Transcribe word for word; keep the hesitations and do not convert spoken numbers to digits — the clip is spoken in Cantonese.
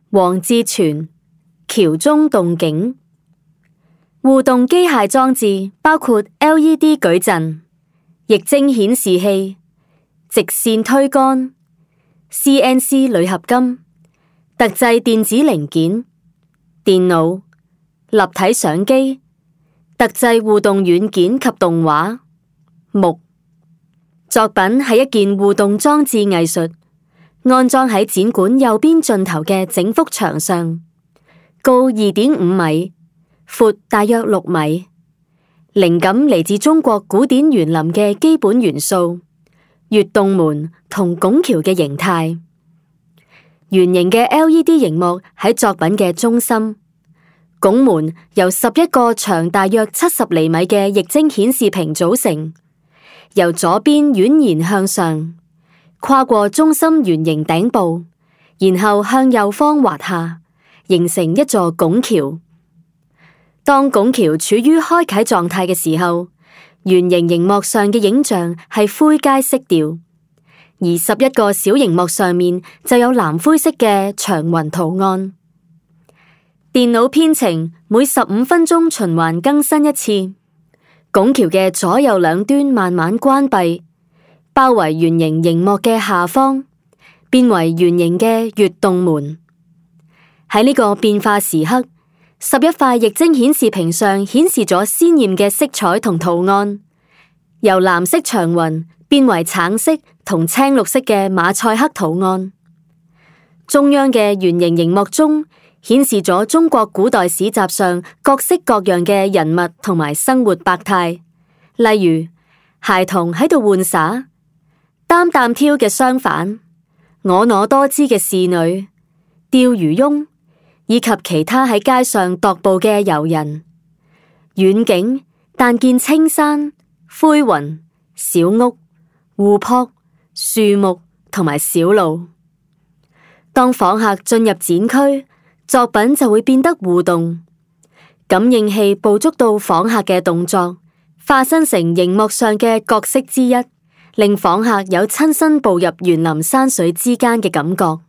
黃志全，橋中動景。互動機械裝置包括 L E D 矩陣、液晶顯示器、直線推杆、C N C 鋁合金、特製電子零件、電腦、立體相機、特製互動軟件及動畫。木作品係一件互動裝置藝術，安裝喺展館右邊盡頭嘅整幅牆上，高二點五米，闊大約六米。靈感嚟自中國古典園林嘅基本元素：月洞門同拱橋嘅形態。圓形嘅 L E D 熒幕喺作品嘅中心，拱門由十一個長大約七十厘米嘅液晶顯示屏組成，由左邊蜿蜒向上，跨過中心圓形頂部，然後向右方滑下，形成一座拱橋。當拱橋處於開啟狀態嘅時候，圓形熒幕上嘅影像係灰階色調，而十一個小熒幕上面就有藍灰色嘅長雲圖案。電腦編程每十五分鐘循環更新一次。拱橋嘅左右兩端慢慢關閉，包圍圓形熒幕嘅下方，變為圓形嘅月洞門。喺呢個變化時刻，十一塊液晶顯示屏上顯示咗鮮艷嘅色彩同圖案，由藍色長雲變為橙色同青綠色嘅馬賽克圖案。中央嘅圓形熒幕中顯示咗中國古代史集上各式各樣嘅人物同埋生活百態，例如孩童喺度玩耍、擔擔挑嘅商販、婀娜多姿嘅侍女、釣魚翁，以及其他喺街上踱步嘅遊人。遠景但見青山、灰雲、小屋、湖泊、樹木同埋小路。當訪客進入展區，作品就會變得互動。感應器捕捉到訪客嘅動作，化身成熒幕上嘅角色之一，令訪客有親身步入園林山水之間嘅感覺。